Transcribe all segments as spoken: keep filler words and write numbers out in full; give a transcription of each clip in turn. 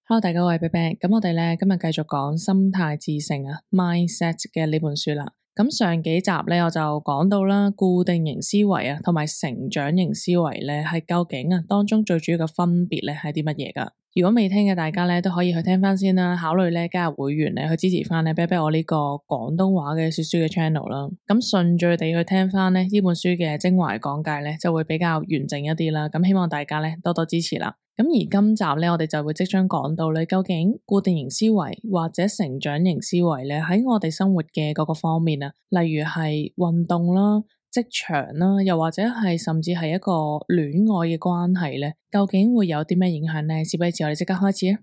Hello，大家好，我係 Bebe，咁我哋咧今日繼續講心態致勝啊 Mindset 嘅呢本書啦。咁上幾集咧我就講到啦，固定型思維啊同埋成長型思維咧係究竟啊當中最主要嘅分別咧係啲乜嘢噶？如果未聽嘅大家咧都可以去聽翻先啦，考慮咧加入會員咧去支持翻咧 Bebe 我呢個廣東話嘅說書嘅 channel 啦。咁順序地去聽翻咧呢本書嘅精華講解咧就會比較完整一啲啦。咁希望大家咧多多支持啦。咁而今集咧，我哋就會即將講到咧，究竟固定型思維或者成長型思維咧，喺我哋生活嘅各個方面啊，例如係運動啦、職場啦，又或者係甚至係一個戀愛嘅關係咧，究竟會有啲咩影響咧？事不宜遲，我哋即刻開始啊！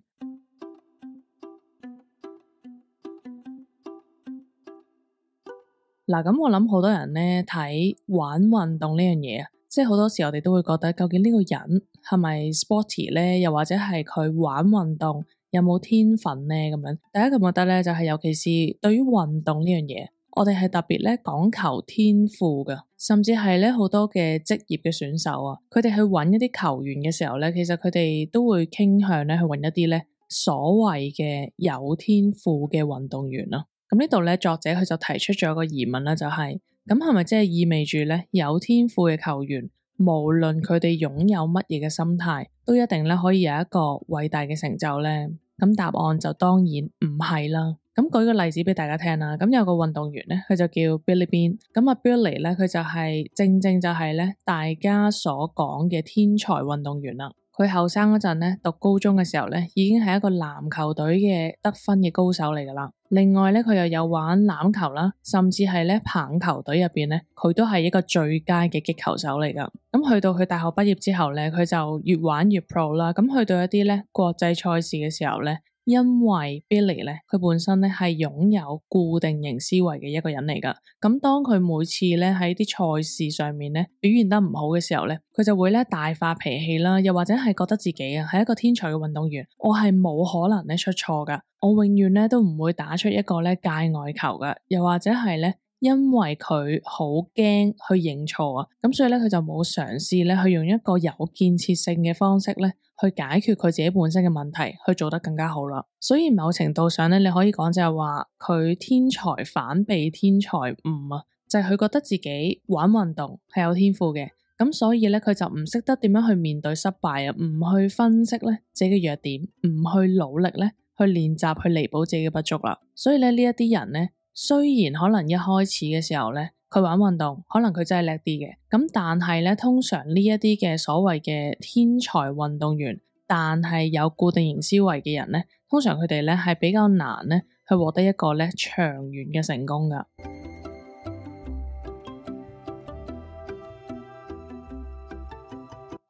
嗱，咁我諗好多人咧睇玩運動呢樣嘢啊。即係好多時我哋都會覺得究竟呢個人係咪 sporty 咧，又或者係佢玩運動有冇天分咧咁樣。第一個覺得咧就係、是、尤其是對於運動呢樣嘢，我哋係特別咧講求天賦㗎，甚至係咧好多嘅職業嘅選手啊，佢哋去揾一啲球員嘅時候咧，其實佢哋都會傾向咧去揾一啲咧所謂嘅有天賦嘅運動員咯。咁呢度咧作者佢就提出咗一個疑問啦，就係、是。咁係咪即係意味住咧有天賦嘅球員，無論佢哋擁有乜嘢嘅心態，都一定咧可以有一個偉大嘅成就咧？咁答案就當然唔係啦。咁舉個例子俾大家聽啦。咁有個運動員咧，佢就叫 Billy Beane。咁啊 Billy 咧，佢就係、是、正正就係咧大家所講嘅天才運動員啦。佢後生嗰陣咧，讀高中嘅時候咧，已經係一個籃球隊嘅得分嘅高手嚟噶啦。另外咧，佢又有玩欖球啦，甚至係咧棒球隊入邊咧，佢都係一個最佳嘅擊球手嚟噶。咁去到佢大學畢業之後咧，佢就越玩越 pro 啦。咁去到一啲咧國際賽事嘅時候咧，因為 Billy 咧，佢本身咧係擁有固定型思維嘅一個人嚟噶。咁當佢每次咧喺啲賽事上面咧表現得唔好嘅時候咧，佢就會咧大發脾氣啦，又或者係覺得自己啊係一個天才嘅運動員，我係冇可能咧出錯噶，我永遠咧都唔會打出一個咧界外球噶，又或者係咧因為佢好驚去認錯啊，咁所以咧佢就冇嘗試咧去用一個有建設性嘅方式咧去解決佢自己本身嘅問題，去做得更加好啦。所以某程度上咧，你可以講就係話佢天才反被天才誤啊，就係佢覺得自己玩運動係有天賦嘅，咁所以咧佢就唔識得點樣去面對失敗啊，唔去分析咧自己嘅弱點，唔去努力咧去練習去彌補自己嘅不足啦。所以咧呢一啲人咧，雖然可能一開始嘅時候咧，佢玩運動可能佢真係叻啲嘅，咁但係咧通常呢一啲嘅所謂嘅天才運動員，但係有固定型思維嘅人咧，通常佢哋咧係比較難咧去獲得一個咧長遠嘅成功噶。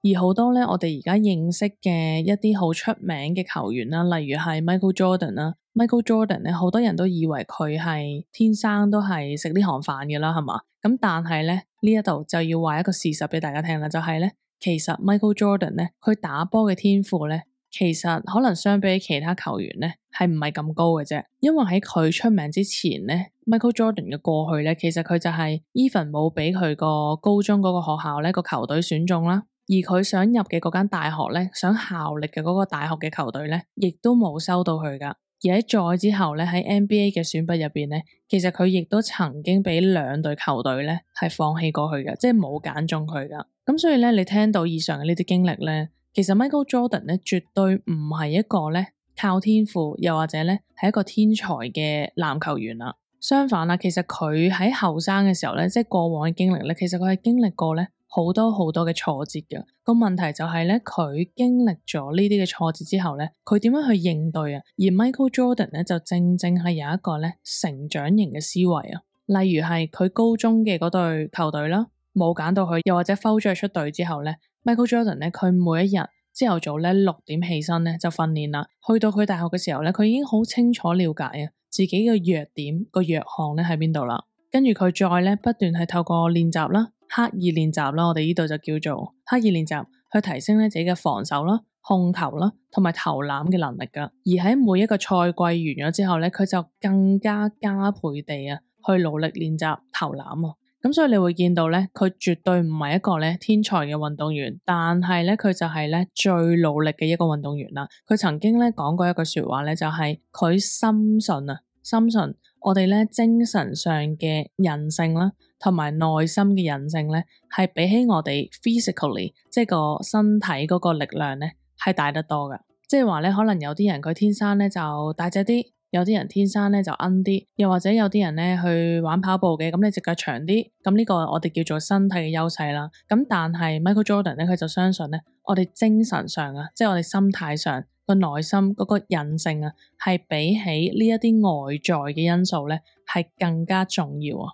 而好多咧，我哋而家認識嘅一啲好出名嘅球員啦，例如係 Michael Jordan 啦，Michael Jordan 咧，好多人都以為佢係天生都係食呢行飯嘅啦，係嘛？咁但係咧呢一度就要話一個事實俾大家聽啦，就係咧，其實 Michael Jordan 咧，佢打波嘅天賦咧，其實可能相比其他球員咧，係唔係咁高嘅啫。因為喺佢出名之前咧，Michael Jordan 嘅過去咧，其實佢就係 even 冇俾佢個高中嗰個學校咧個球隊選中啦。而佢想入嘅嗰間大學咧，想效力嘅嗰個大學嘅球隊咧，亦都冇收到佢噶。而喺再之後咧，喺 N B A 嘅選拔入邊咧，其實佢亦都曾經俾兩隊球隊咧係放棄過去嘅，即係冇揀中佢噶。咁所以咧，你聽到以上嘅呢啲經歷咧，其實 Michael Jordan 咧絕對唔係一個咧靠天賦，又或者咧係一個天才嘅籃球員啦。相反啦，其實佢喺後生嘅時候咧，即係過往嘅經歷咧，其實佢係經歷過咧好多好多嘅挫折嘅。個問題就係咧，佢經歷咗呢啲嘅挫折之後咧，佢點樣去應對啊？而 Michael Jordan 咧就正正係有一個咧成長型嘅思維啊。例如係佢高中嘅嗰隊球隊啦，冇揀到佢，又或者 foul 咗出隊之後咧，Michael Jordan 咧佢每一日朝頭早咧六點起身咧就訓練啦。去到佢大學嘅時候咧，佢已經好清楚了解啊自己嘅弱點個弱項咧喺邊度啦。跟住佢再咧不斷係透過練習啦。刻意練習啦，我哋呢度就叫做刻意練習，去提升咧自己嘅防守啦、控球啦，同埋投籃嘅能力噶。而喺每一個賽季完咗之後咧，佢就更加加倍地啊去努力練習投籃啊。咁所以你會見到咧，佢絕對唔係一個咧天才嘅運動員，但係咧佢就係咧最努力嘅一個運動員啦。佢曾經咧講過一句說話咧，就係佢深信啊，深信我哋咧精神上嘅韌性啦，同埋內心嘅韌性咧，係比起我哋 physically 即係個身體嗰個力量咧，係大得多噶。即係話咧，可能有啲人佢天生咧就大隻啲。有啲人天生咧就奀啲，又或者有啲人咧去玩跑步嘅，咁你隻腳長啲，咁呢個我哋叫做身體嘅優勢啦。咁但係 Michael Jordan 咧，佢就相信咧，我哋精神上啊，即係我哋心態上個內心嗰個韌性啊，係比起呢一啲外在嘅因素咧，係更加重要啊。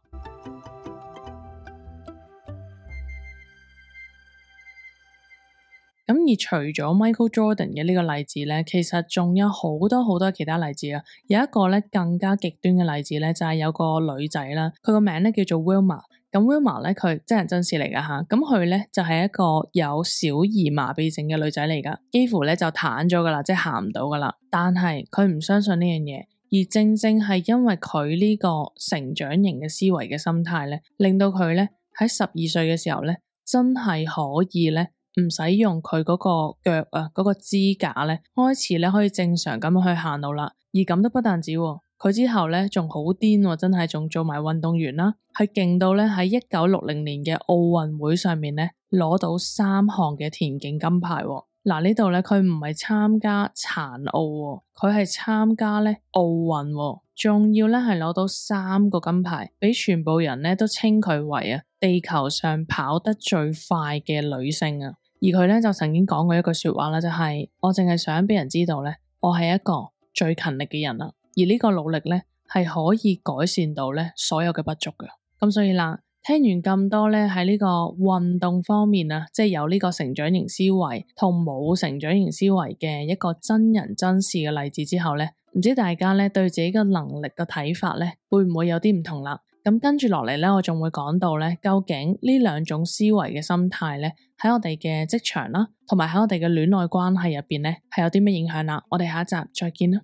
咁而除咗 Michael Jordan 嘅呢個例子咧，其實仲有好多好多其他例子啊。有一個咧更加極端嘅例子咧，就係有個女仔啦，佢個名咧叫做 Wilma。咁 Wilma 咧佢真人真事嚟噶吓，咁佢咧就係一個有小兒麻痹症嘅女仔嚟噶，幾乎咧就癱咗噶啦，即係行唔到噶啦。但係佢唔相信呢樣嘢，而正正係因為佢呢個成長型嘅思維嘅心態咧，令到佢咧喺十二歲嘅時候咧，真係可以咧。唔使用佢嗰個腳啊，嗰個支架咧，開始咧可以正常咁去行路啦。而咁都不但止，佢之後咧仲好癲，真係仲做埋運動員啦，係勁到咧喺一九六零年嘅奧運會上面咧攞到三項嘅田徑金牌。嗱，呢度咧佢唔係參加殘奧，佢係參加咧奧運，仲要咧係攞到三個金牌，俾全部人咧都稱佢為啊地球上跑得最快嘅女性啊！而佢咧就曾經講過一句說話啦，就係我淨係想俾人知道咧，我係一個最勤力嘅人啦。而呢個努力咧係可以改善到咧所有嘅不足嘅。咁所以啦，聽完咁多咧喺呢個運動方面啊，即係有呢個成長型思維同冇成長型思維嘅一個真人真事嘅例子之後咧，唔知大家咧對自己嘅能力嘅睇法咧會唔會有啲唔同啦？咁跟住落嚟咧，我仲會講到咧，究竟呢兩種思維嘅心態咧，喺我哋嘅職場啦，同埋喺我哋嘅戀愛關係入邊咧，係有啲咩影響啦？我哋下一集再見啦。